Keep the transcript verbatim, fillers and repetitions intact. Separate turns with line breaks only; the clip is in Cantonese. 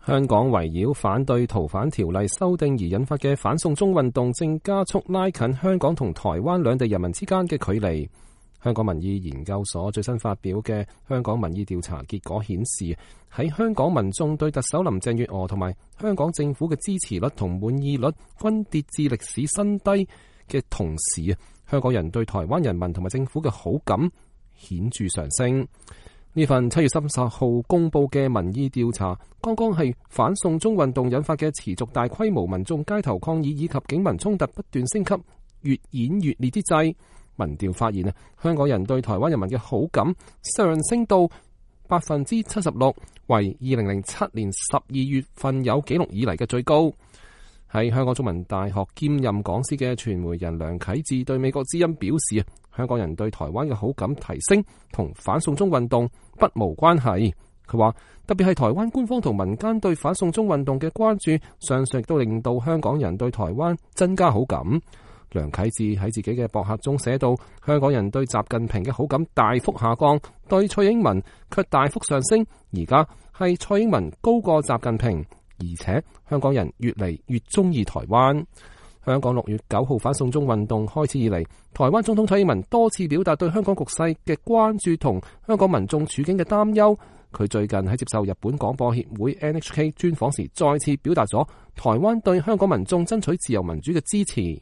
香港圍繞反對逃犯條例修訂而引發嘅反送中運動正加速拉近香港同台灣兩地人民之間嘅距離。香港民意研究所最新發表嘅香港民意調查結果顯示，喺香港民眾對特首林鄭月娥同埋香港政府嘅支持率同滿意率均跌至歷史新低嘅同時，香港人對台灣人民同埋政府嘅好感顯著上升。呢份七月三十號公布嘅民意調查，剛剛係反送中運動引發嘅持續大規模民眾街頭抗議以及警民衝突不斷升級、越演越烈之際，民調發現啊，香港人對台灣人民嘅好感上升到百分之七十六，為二零零七年十二月份有紀錄以嚟嘅最高。喺香港中文大學兼任講師嘅傳媒人梁啟智對美國之音表示，香港人對台灣嘅好感提升同反送中運動不無關係。佢話特別係台灣官方同民間對反送中運動嘅關注，相信亦都令到香港人對台灣增加好感。梁啟智喺自己嘅博客中寫到，香港人對習近平嘅好感大幅下降，對蔡英文卻大幅上升。而家係蔡英文高過習近平，而且香港人越嚟越中意台灣。香港六月九號反送中運動開始以嚟，台灣總統蔡英文多次表達對香港局勢嘅關注同香港民眾處境嘅擔憂。佢最近喺接受日本廣播協會 N H K 專訪時，再次表達咗台灣對香港民眾爭取自由民主嘅支持。